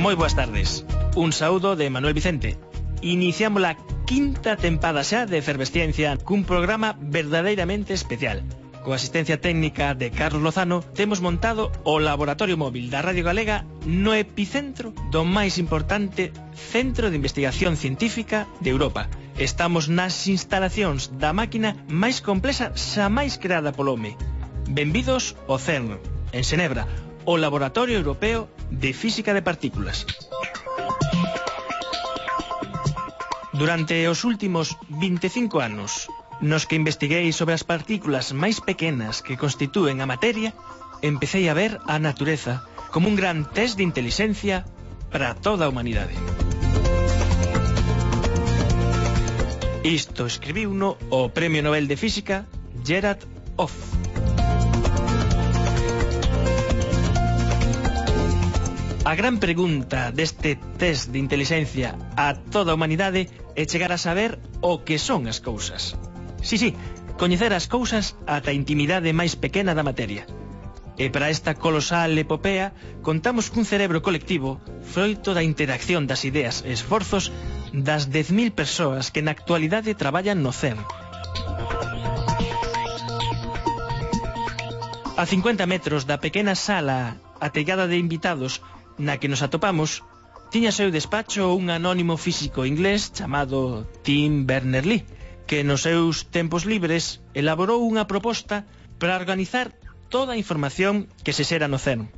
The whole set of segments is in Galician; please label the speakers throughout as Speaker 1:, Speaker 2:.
Speaker 1: Moi boas tardes. Un saúdo de Manuel Vicente. Iniciamos a quinta tempada xa de Efervesciencia cun programa verdadeiramente especial. Coa asistencia técnica de Carlos Lozano, temos montado o laboratorio móvil da Radio Galega no epicentro do máis importante centro de investigación científica de Europa. Estamos nas instalacións da máquina máis complexa xamais creada polo home. Benvidos ao CERN, en Xenebra, o Laboratorio Europeo de Física de Partículas. Durante os últimos 25 anos, nos que investiguei sobre as partículas máis pequenas que constitúen a materia, empecei a ver a natureza como un gran test de inteligencia para toda a humanidade. Isto escribiuno o Premio Nobel de Física Gerard Hoff. A gran pregunta deste test de inteligencia a toda a humanidade é chegar a saber o que son as cousas. Sí, coñecer as cousas ata a intimidade máis pequena da materia. E para esta colosal epopea contamos cun cerebro colectivo froito da interacción das ideas e esforzos das 10.000 persoas que na actualidade traballan no CERN. A 50 metros da pequena sala ateigada de invitados na que nos atopamos, tiña seu despacho un anónimo físico inglés chamado Tim Berners-Lee, que nos seus tempos libres elaborou unha proposta para organizar toda a información que se xera no CERN.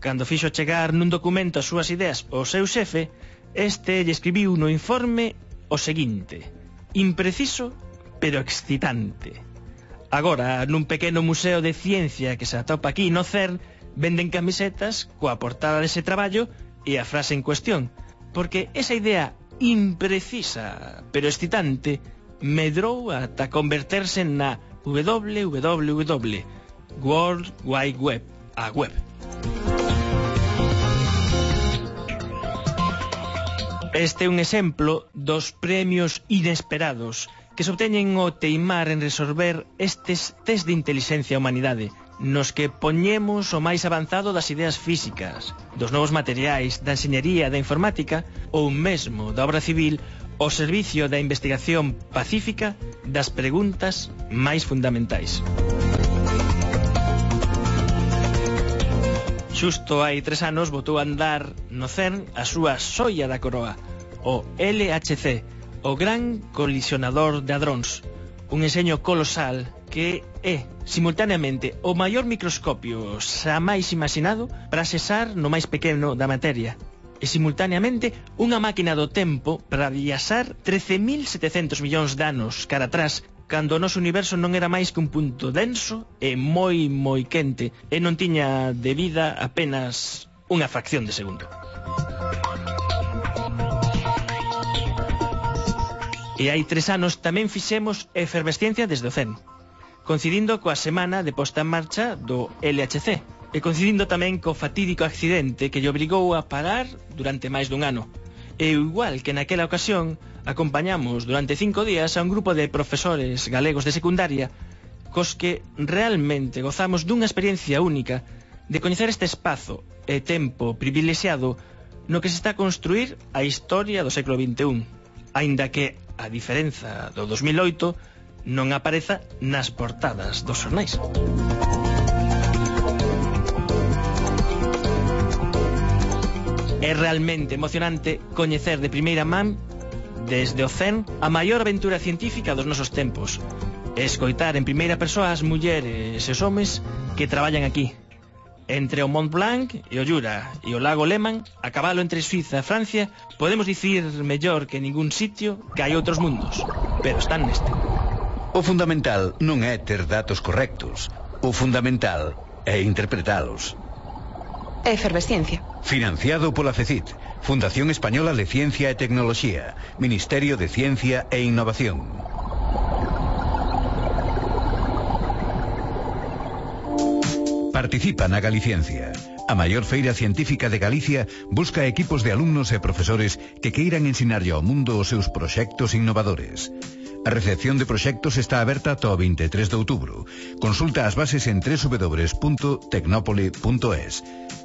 Speaker 1: Cando fixo chegar nun documento as súas ideas ao seu xefe, este lle escribiu no informe o seguinte: impreciso, pero excitante. Agora, nun pequeno museo de ciencia que se atopa aquí no CERN, venden camisetas coa portada dese traballo e a frase en cuestión, porque esa idea imprecisa, pero excitante, medrou ata converterse na WWW, World Wide Web, a web. Este é un exemplo dos premios inesperados que se obteñen ao teimar en resolver estes test de inteligencia á humanidade, nos que poñemos o máis avanzado das ideas físicas, dos novos materiais, da enxeñería, da informática ou mesmo da obra civil ao servicio da investigación pacífica das preguntas máis fundamentais. Xusto hai 3 anos botou a andar no CERN a súa xoia da coroa, o LHC, o Gran Colisionador de Hadróns, un enxeño colosal que é, simultaneamente, o maior microscopio xamais imaginado para xesar no máis pequeno da materia, e simultaneamente unha máquina do tempo para viaxar 13.700 millóns de anos cara atrás, cando o noso universo non era máis que un punto denso e moi quente, e non tiña de vida apenas unha fracción de segundo. E hai 3 anos tamén fixemos efervesciencia desde o CERN, coincidindo coa semana de posta en marcha do LHC, e coincidindo tamén co fatídico accidente que lle obrigou a parar durante máis dun ano. E igual que naquela ocasión, acompañamos durante 5 días a un grupo de profesores galegos de secundaria cos que realmente gozamos dunha experiencia única de coñecer este espazo e tempo privilexiado no que se está a construir a historia do século XXI, aínda que, a diferenza do 2008, non apareza nas portadas dos xornais. É realmente emocionante coñecer de primeira man, desde o CERN, a maior aventura científica dos nosos tempos, e escoitar en primeira persoa as mulleres e os homes que traballan aquí. Entre o Mont Blanc e o Jura e o lago Léman, a cabalo entre Suiza e Francia, podemos dicir mellor que en ningún sitio que hai outros mundos, pero están neste.
Speaker 2: O fundamental non é ter datos correctos. O fundamental é interpretalos.
Speaker 3: Efervesciencia.
Speaker 2: Financiado pola FECIT, Fundación Española de Ciencia e Tecnoloxía, Ministerio de Ciencia e Innovación. Participa na Galiciencia. A maior feira científica de Galicia busca equipos de alumnos e profesores que queiran ensinarlle ao mundo os seus proxectos innovadores. A recepción de proxectos está aberta ata o 23 de outubro. Consulta as bases en www.tecnopole.es.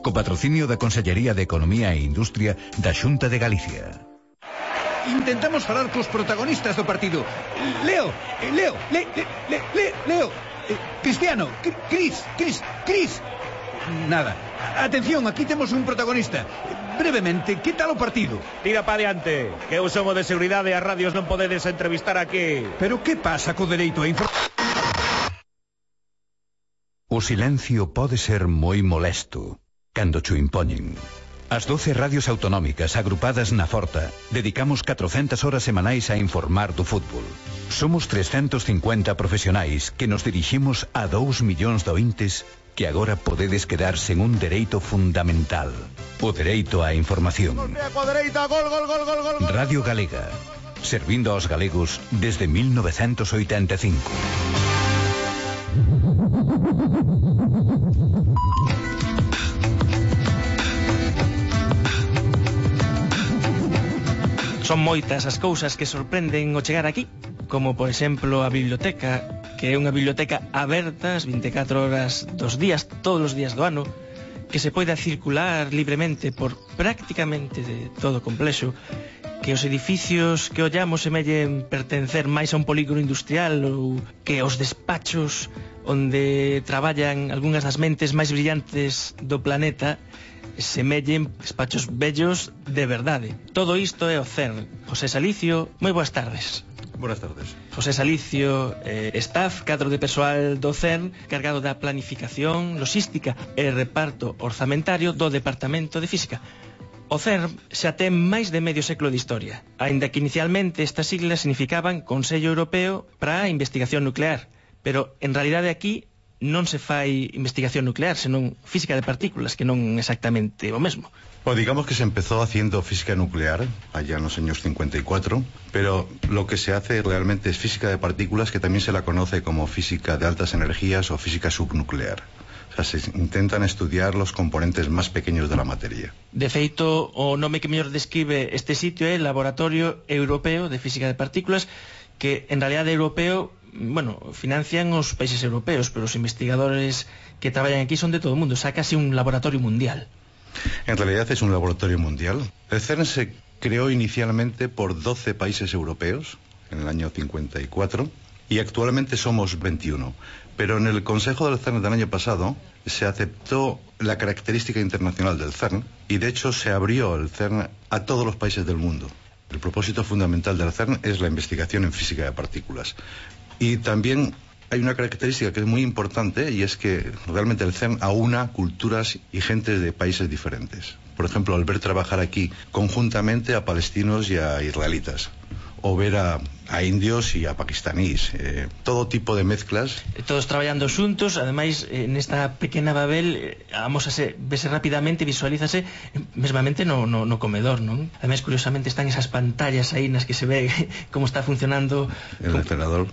Speaker 2: Co patrocinio da Consellería de Economía e Industria da Xunta de Galicia.
Speaker 4: Intentamos falar cos protagonistas do partido. Leo, Cristiano, Cris. Nada. Atención, aquí temos un protagonista. Brevemente, que tal o partido?
Speaker 5: Tira pa diante, que eu son o de seguridade e as radios non podedes entrevistar aquí.
Speaker 4: Pero que pasa co dereito a información?
Speaker 2: O silencio pode ser moi molesto cando cho impoñen. As 12 radios autonómicas agrupadas na Forta dedicamos 400 horas semanais a informar do fútbol. Somos 350 profesionais que nos diriximos a 2 millóns de ointes que agora podedes quedar sen un dereito fundamental, o dereito á información. Radio Galega, servindo aos galegos desde 1985.
Speaker 1: Son moitas as cousas que sorprenden ao chegar aquí, como por exemplo a biblioteca, que é unha biblioteca aberta as 24 horas dos días, todos os días do ano, que se poida circular libremente por prácticamente de todo o complexo, que os edificios que ollamos semellen pertencer máis a un polígono industrial ou que os despachos onde traballan algunhas das mentes máis brillantes do planeta semellen despachos bellos de verdade. Todo isto é o CERN. José Salicio, moi boas tardes.
Speaker 6: Buenas tardes.
Speaker 1: José Salicio, staff, cadro de persoal do CERN, cargado da planificación, logística e reparto orzamentario do Departamento de Física. O CERN xa ten máis de medio século de historia, aínda que inicialmente estas siglas significaban Consello Europeo para a Investigación Nuclear, pero en realidade aquí non se fai investigación nuclear, senón física de partículas, que non exactamente o mesmo.
Speaker 6: Bueno, digamos que se empezó haciendo física nuclear allá en los años 54, pero lo que se hace realmente es física de partículas, que también se la conoce como física de altas energías o física subnuclear. O sea, se intentan estudiar los componentes más pequeños de la materia.
Speaker 1: De feito, o nome que mellor describe este sitio é Laboratorio Europeo de Física de Partículas, que en realidade europeo, bueno, financian os países europeos, pero os investigadores que traballan aquí son de todo o mundo, o sea, casi un laboratorio mundial.
Speaker 6: En realidad es un laboratorio mundial. El CERN se creó inicialmente por 12 países europeos en el año 54 y actualmente somos 21. Pero en el Consejo del CERN del año pasado se aceptó la característica internacional del CERN y de hecho se abrió el CERN a todos los países del mundo. El propósito fundamental del CERN es la investigación en física de partículas. Y también hay una característica que es muy importante, y es que realmente el CERN aúna culturas y gentes de países diferentes. Por ejemplo, al ver trabajar aquí conjuntamente a palestinos y a israelitas, o ver a indios y a pakistaníes, todo tipo de mezclas.
Speaker 1: Todos traballando xuntos, ademais, nesta pequena Babel, vese rapidamente, visualízase mesmamente no comedor, non? Ademais, curiosamente, están esas pantallas aí nas que se ve como está funcionando
Speaker 6: el refrigerador.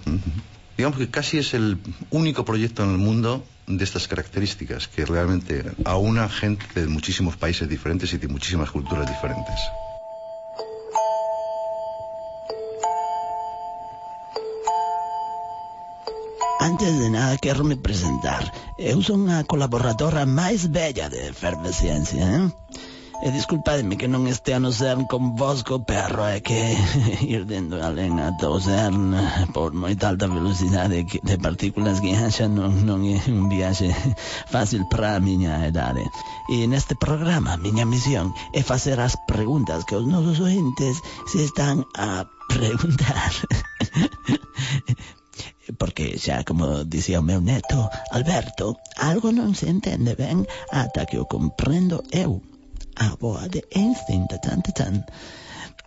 Speaker 6: Digamos que casi es el único proyecto en el mundo de estas características, que realmente aúna gente de muchísimos países diferentes y de muchísimas culturas diferentes.
Speaker 7: Antes de nada, quero me presentar. Eu son a colaboradora máis bella de Efervesciencia, E disculpadme que non estea no CERN con vos co perro, é que ir dentro alén ata o CERN por moita alta velocidade de partículas que haxa non é un viaxe fácil para a miña idade. E neste programa, a miña misión é facer as preguntas que os nosos ointes se están a preguntar. Porque xa, como dicía o meu neto Alberto, algo non se entende ben ata que o comprendo eu. A boa de Einstein, tan.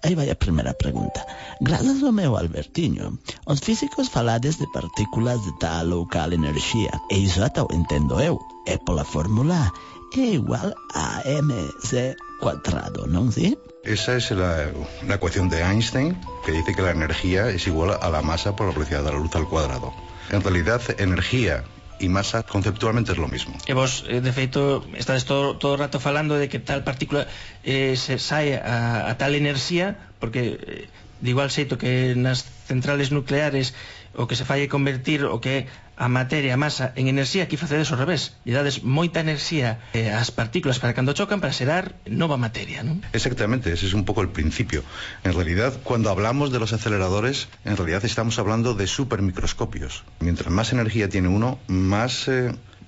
Speaker 7: Aí vai a primeira pregunta. Grazas ao meu Albertiño, os físicos falades de partículas de tal ou cal enerxía, e iso ata o entendo eu, é pola fórmula E igual a mc cuadrado, non si?
Speaker 6: Esa es la ecuación de Einstein, que dice que la energía es igual a la masa por la velocidad de la luz al cuadrado. En realidad, energía y masa conceptualmente es lo mismo.
Speaker 1: E vos, de feito, estades todo o rato falando de que tal partícula se sae a tal enerxía, porque De igual xeito que nas centrales nucleares o que se fai é convertir o que é a materia, a masa, en enerxía, aquí facedes ao revés. Lle dades moita enerxía ás partículas para cando chocan para xerar nova materia, ¿no?
Speaker 6: Exactamente, ese es un poco el principio. En realidad, cuando hablamos de los aceleradores, en realidad estamos hablando de supermicroscopios. Mientras más energía tiene uno, más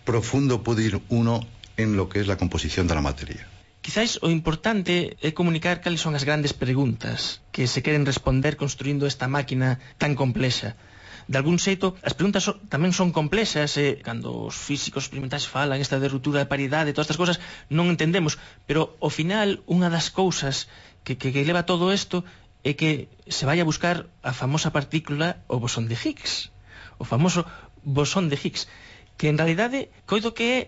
Speaker 6: profundo puede ir uno en lo que es la composición de la materia.
Speaker 1: Quizás o importante é comunicar cales son as grandes preguntas que se queren responder construindo esta máquina tan complexa. De algún xeito, as preguntas tamén son complexas, cando os físicos experimentais falan esta de ruptura de paridade, todas estas cousas non entendemos, pero ao final unha das cousas que leva todo isto é que se vai a buscar a famosa partícula, o bosón de Higgs, o famoso bosón de Higgs, que en realidade coido que é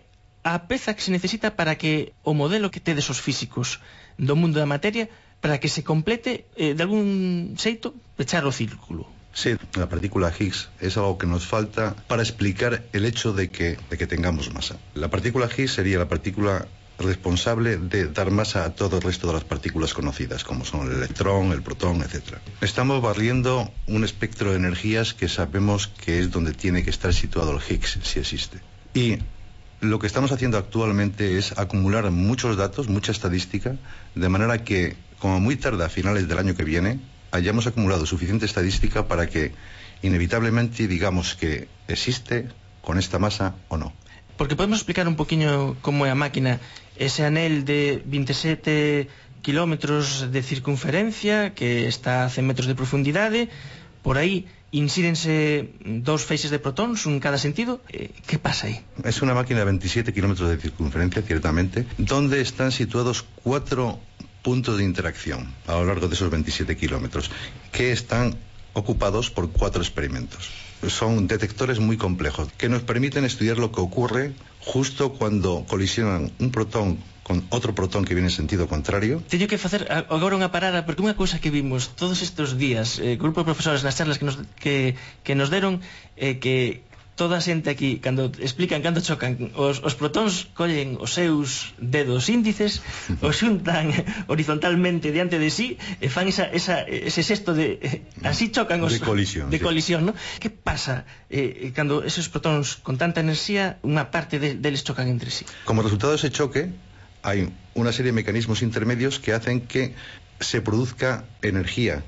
Speaker 1: a peza que se necesita para que o modelo que tedes os físicos do mundo da materia, para que se complete, de algún xeito, pechar o círculo.
Speaker 6: Sí, la partícula Higgs es algo que nos falta para explicar el hecho de que tengamos masa. La partícula Higgs sería la partícula responsable de dar masa a todo el resto de las partículas conocidas, como son el electrón, el protón, etc. Estamos barriendo un espectro de energías que sabemos que es donde tiene que estar situado el Higgs, si existe. Y lo que estamos haciendo actualmente es acumular muchos datos, mucha estadística, de manera que, como muy tarde a finales del año que viene, hayamos acumulado suficiente estadística para que inevitablemente digamos que existe con esta masa o no.
Speaker 1: Porque podemos explicar un poquinho como é a máquina, ese anel de 27 kilómetros de circunferencia que está a 100 metros de profundidade, por aí insírense dos feixes de protóns, un en cada sentido. ¿Qué pasa ahí?
Speaker 6: Es una máquina de 27 kilómetros de circunferencia, ciertamente, donde están situados 4 puntos de interacción a lo largo de esos 27 kilómetros, que están ocupados por 4 experimentos. Son detectores muy complejos, que nos permiten estudiar lo que ocurre justo cuando colisionan un protón con outro protón que viene en sentido contrario.
Speaker 1: Teño que facer agora unha parada, porque unha cousa que vimos todos estes días, grupo de profesores nas charlas que nos deron, que toda a xente aquí, cando explican cando chocan os protóns, collen os seus dedos índices, os xuntan horizontalmente diante de sí e fan ese xesto de así chocan os
Speaker 6: de colisión,
Speaker 1: ¿no? Que pasa cando esos protóns con tanta enerxía, unha parte deles chocan entre sí?
Speaker 6: Como resultado de ese choque hay una serie de mecanismos intermedios que hacen que se produzca energía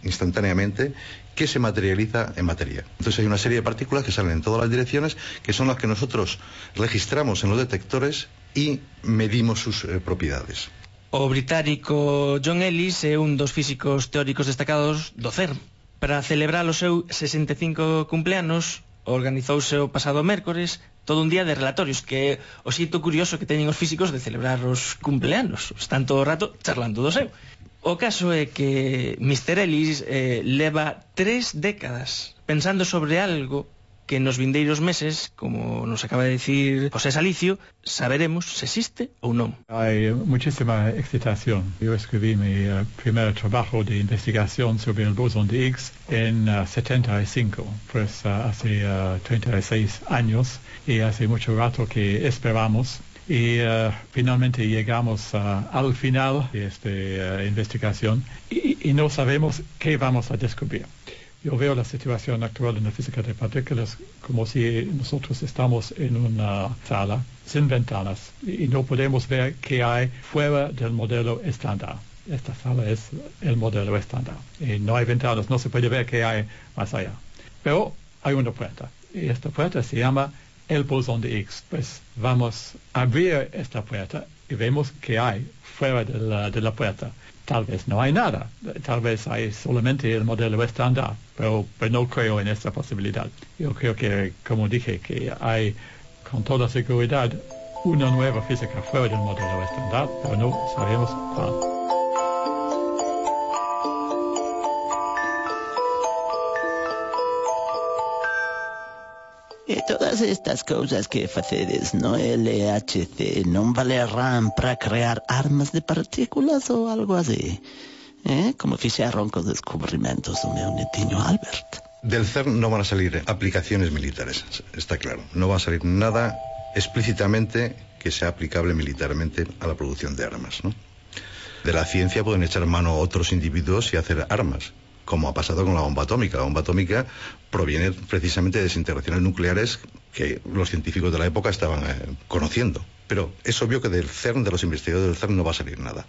Speaker 6: instantáneamente que se materializa en materia. Entonces hay una serie de partículas que salen en todas las direcciones, que son las que nosotros registramos en los detectores y medimos sus propiedades.
Speaker 1: O británico John Ellis é un dos físicos teóricos destacados do CERN. Para celebrar o seu 65 cumpleanos, organizouse o pasado mércores todo un día de relatorios, que é o xeito curioso que teñen os físicos de celebrar os cumpleanos. Están todo o rato charlando do seu. O caso é que Mr. Ellis leva 3 décadas pensando sobre algo que nos vindeiros meses, como nos acaba de decir José Salicio, saberemos se existe ou non.
Speaker 8: Hay muchísima excitación. Yo escribí mi primer trabajo de investigación sobre el bosón de Higgs en 75, pues hace 36 años, y hace mucho rato que esperamos. Y finalmente llegamos al final de esta investigación y no sabemos qué vamos a descubrir. Yo veo la situación actual en la física de partículas como si nosotros estamos en una sala sin ventanas y no podemos ver qué hay fuera del modelo estándar. Esta sala es el modelo estándar y no hay ventanas, no se puede ver qué hay más allá. Pero hay una puerta y esta puerta se llama el bosón de Higgs. Pues vamos a abrir esta puerta y vemos que hay fuera de la puerta. Tal vez no hay nada, tal vez hay solamente el modelo estándar, pero no creo en esta posibilidad. Yo creo que, como dije, que hay con toda seguridad una nueva física fuera del modelo estándar, pero no sabemos cuál.
Speaker 7: E todas estas cousas que facedes no LHC non valerán para crear armas de partículas ou algo así? Como fixeron cos descubrimentos do meu netiño Albert.
Speaker 6: Del CERN no van a salir aplicaciones militares, está claro. No va a salir nada explícitamente que sea aplicable militarmente a la producción de armas, ¿no? De la ciencia pueden echar mano a otros individuos y hacer armas, como ha pasado con la bomba atómica. La bomba atómica proviene precisamente de desintegraciones nucleares que los científicos de la época estaban conociendo. Pero es obvio que del CERN, de los investigadores del CERN, no va a salir nada.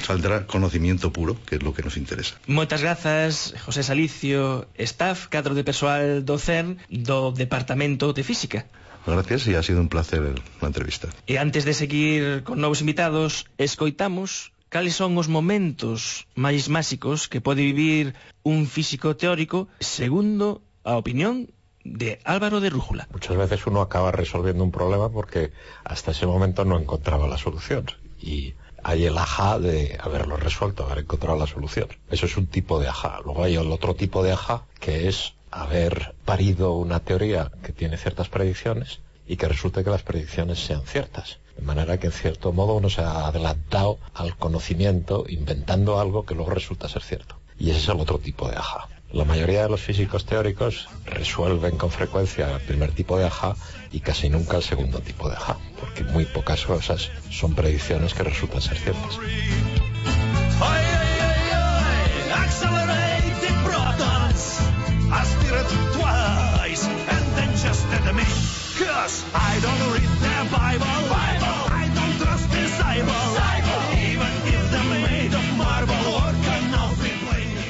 Speaker 6: Saldrá conocimiento puro, que es lo que nos interesa.
Speaker 1: Moitas grazas, José Salicio, staff, cadro de persoal do CERN, do Departamento de Física.
Speaker 6: Gracias, y ha sido un placer la entrevista.
Speaker 1: E antes de seguir con novos invitados, escoitamos cales son os momentos máis máxicos que pode vivir un físico teórico segundo a opinión de Álvaro de Rújula.
Speaker 9: Muchas veces uno acaba resolviendo un problema porque hasta ese momento no encontraba la solución, y hay el ajá de haberlo resuelto, haber encontrado la solución. Eso es un tipo de ajá. Luego hay el otro tipo de ajá, que es haber parido una teoría que tiene ciertas predicciones y que resulte que las predicciones sean ciertas. De manera que, en cierto modo, uno se ha adelantado al conocimiento inventando algo que luego resulta ser cierto. Y ese es el otro tipo de ajá. La mayoría de los físicos teóricos resuelven con frecuencia el primer tipo de ajá y casi nunca el segundo tipo de ajá, porque muy pocas cosas son predicciones que resultan ser ciertas.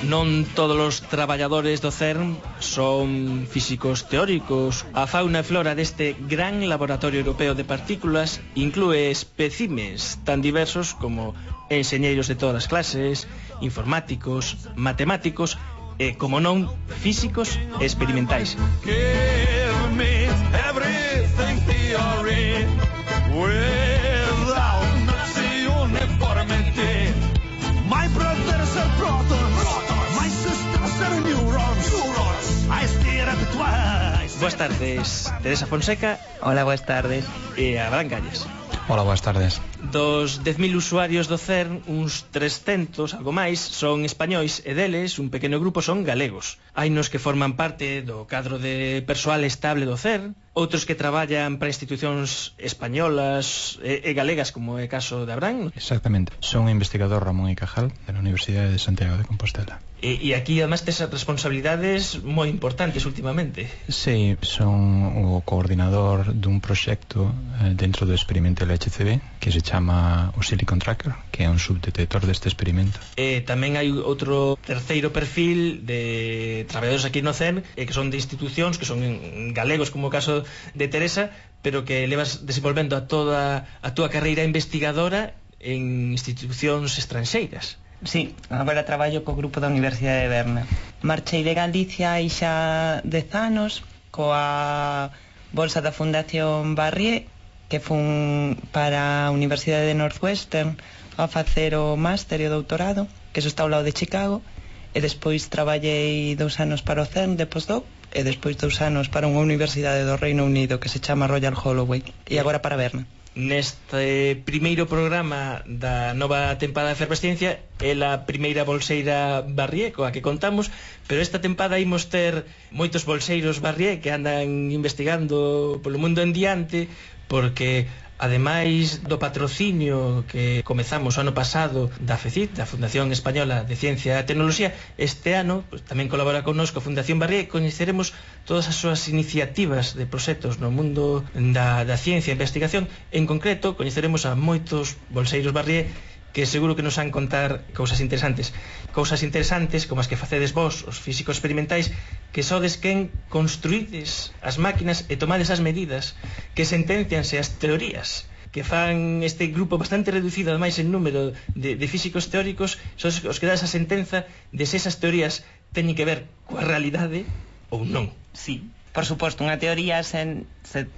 Speaker 1: Non todos os traballadores do CERN son físicos teóricos. A fauna e flora deste gran laboratorio europeo de partículas inclúe espécimes tan diversos como enxeñeiros de todas as clases, informáticos, matemáticos e, como non, físicos experimentais. Give me everything theory without Nazi uniformity. My brothers are protons, my sisters are neurons. I stare at twice. Boas tardes, Teresa Fonseca.
Speaker 10: Hola, boas tardes.
Speaker 1: E Abraham Calles.
Speaker 11: Hola, boas tardes.
Speaker 1: Dos 10.000 usuarios do CERN, uns 300, algo máis, son españois e deles un pequeno grupo son galegos. Hai nos que forman parte do cadro de persoal estable do CERN, outros que traballan para institucións españolas e galegas, como é o caso de Abraham.
Speaker 11: Exactamente. Son o investigador Ramón y Cajal, da Universidade de Santiago de Compostela.
Speaker 1: E aquí, además, tes responsabilidades moi importantes últimamente.
Speaker 11: Sí, son o coordinador dun proxecto dentro do experimento LHCb que se chama o Silicon Tracker, que é un subdetector deste experimento.
Speaker 1: E tamén hai outro terceiro perfil de traballadores aquí no CERN, que son de institucións, que son galegos, como o caso de Teresa, pero que levas desenvolvendo a toda a túa carreira investigadora en institucións estranxeiras.
Speaker 10: Sí, agora traballo co grupo da Universidade de Berna. Marchei de Galicia hai xa 10 anos coa bolsa da Fundación Barrié, que fun para a Universidade de Northwestern a facer o máster e o doutorado, que eso está ao lado de Chicago, e despois traballei 2 anos para o CERN de postdoc, e despois 2 anos para unha universidade do Reino Unido que se chama Royal Holloway, e agora para Berna.
Speaker 1: Neste primeiro programa da nova tempada de Efervesciencia é a primeira bolseira Barrié coa que contamos, pero esta tempada imos ter moitos bolseiros Barrié que andan investigando polo mundo en diante, porque ademais do patrocinio que comezamos o ano pasado da FECIT, da Fundación Española de Ciencia e Tecnoloxía, este ano pues, tamén colabora connosco a Fundación Barrié, e coñeceremos todas as súas iniciativas de proxectos no mundo da ciencia e investigación. En concreto, coñeceremos a moitos bolseiros Barrié que seguro que nos han contar cousas interesantes como as que facedes vos, os físicos experimentais, que sodes quen construídes as máquinas e tomades as medidas, que sentencianse as teorías, que fan este grupo bastante reducido ademais en número de físicos teóricos, sodes os que dá esa sentenza de se esas teorías teñen que ver coa realidade ou non.
Speaker 10: Sí. Por suposto, unha teoría, se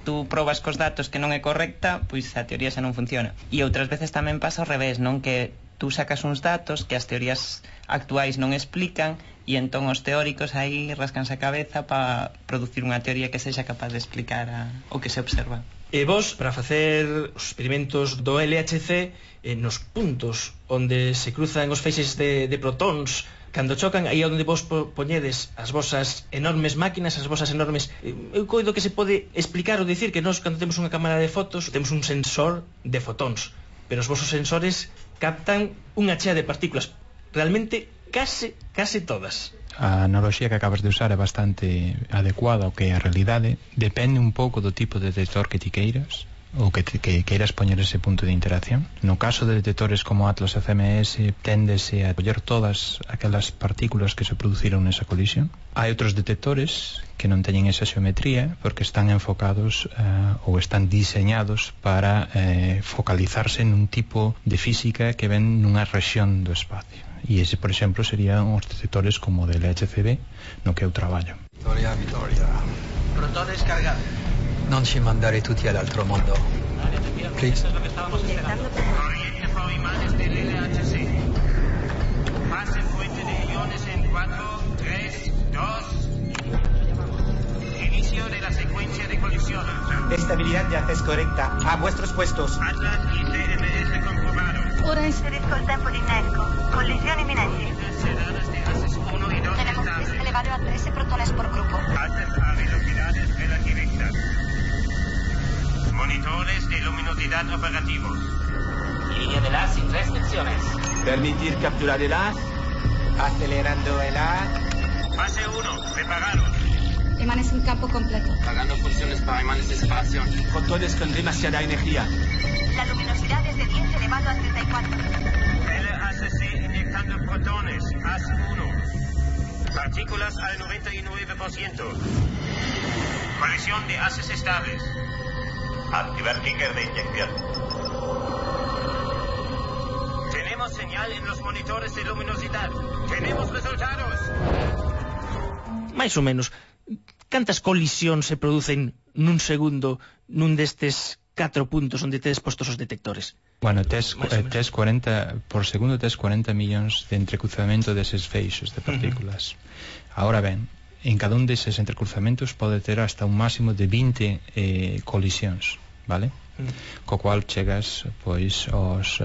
Speaker 10: tú probas cos datos que non é correcta, pois a teoría xa non funciona. E outras veces tamén pasa ao revés, non? Que tú sacas uns datos que as teorías actuais non explican, e entón os teóricos aí rascanse a cabeza para producir unha teoría que sexa capaz de explicar o que se observa.
Speaker 1: E vos, para facer os experimentos do LHC, nos puntos onde se cruzan os feixes de protóns, cando chocan, aí onde vos poñedes as vosas enormes máquinas, as vosas enormes... Eu coido que se pode explicar ou dicir que nós, cando temos unha cámara de fotos, temos un sensor de fotóns, pero os vosos sensores captan unha chea de partículas, realmente case todas.
Speaker 11: a analoxía que acabas de usar é bastante adecuada ao que é a realidade. Depende un pouco do tipo de detector que ti queiras ou que queiras poñer ese punto de interacción. No caso de detectores como Atlas FMS, téndese a coller todas aquelas partículas que se produciron nesa colisión. Hai outros detectores que non teñen esa xeometría porque están enfocados ou están diseñados para focalizarse nun tipo de física que ven nunha rexión do espacio. E ese, por exemplo, serían os detectores como o del LHCb no que eu traballo.
Speaker 12: Vittoria. Protones cargados. Non ci mandare tutti all'altro mondo. Please.
Speaker 13: Corriente por imanes del LHC. Fase fuente de iones en 4, 3, 2. Inicio de la secuencia de colisión.
Speaker 14: Estabilidad de haces correcta. A vuestros puestos.
Speaker 13: Atlas y CMS comprobados.
Speaker 15: Ora inserisco il tempo di innesco. Collisioni imminenti.
Speaker 13: Sedadas de haces 1 y 2
Speaker 15: Tenemos
Speaker 13: estables.
Speaker 15: que elevar a 13 protones por grupo.
Speaker 13: Altas a velocidades relativistas. Monitores de luminosidad operativos.
Speaker 16: Línea de las sin restricciones.
Speaker 14: Permitir capturar el haz. Acelerando el haz.
Speaker 13: Fase 1, preparados.
Speaker 15: Imanes en campo completo.
Speaker 16: Pagando funciones para imanes de separación.
Speaker 14: Fotones con demasiada energía.
Speaker 15: La luminosidad es de 10 elevado a 34.
Speaker 13: LHC inyectando protones. Haz 1. Partículas al 99%. Colisión de haces estables. Activar kicker de inyección. Tenemos señal en los monitores de luminosidad. Tenemos resultados.
Speaker 1: Mais ou menos, cantas colisións se producen nun segundo nun destes 4 puntos onde tedes postos os detectores?
Speaker 11: Bueno, tes 40 por segundo, tes 40 millóns de entrecruzamento deses feixos de partículas. Ahora ben, en cada un deses entrecruzamentos pode ter hasta un máximo de 20 colisións, vale? Co cual chegas pois aos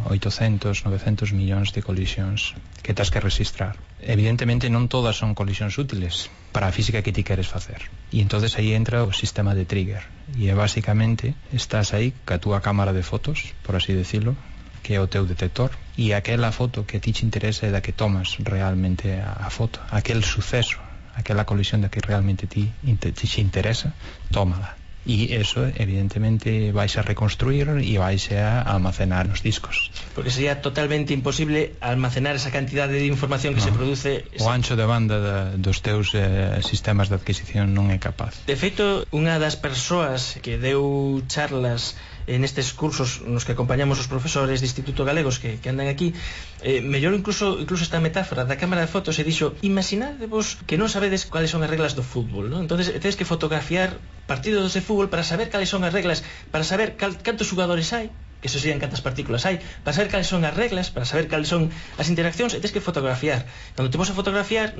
Speaker 11: 800, 900 millóns de colisións que tens que registrar. Evidentemente non todas son colisións útiles para a física que ti queres facer, e entonces aí entra o sistema de trigger, e é basicamente estás aí ca túa cámara de fotos, por así decirlo, que é o teu detector, e aquela foto que ti te interesa é da que tomas realmente a foto, aquel suceso, aquela colisión da que realmente ti te interesa, tómala. E eso evidentemente vais a reconstruir e vais a almacenar nos discos,
Speaker 1: porque sería totalmente imposible almacenar esa cantidade de información que se produce.
Speaker 11: O ancho de banda dos teus sistemas de adquisición non é capaz.
Speaker 1: De feito, unha das persoas que deu charlas nestes cursos nos que acompañamos os profesores de Instituto Galegos que andan aquí, mellor incluso esta metáfora da cámara de fotos, e dixo: imaginadevos que non sabedes cuáles son as reglas do fútbol, ¿no? Entonces tedes que fotografiar partidos de fútbol para saber cales son as reglas, para saber cantos xogadores hai, que eso serían cantas partículas hai, para saber cales son as reglas, para saber cales son as interaccións, e tedes que fotografiar. Cando te vas a fotografiar non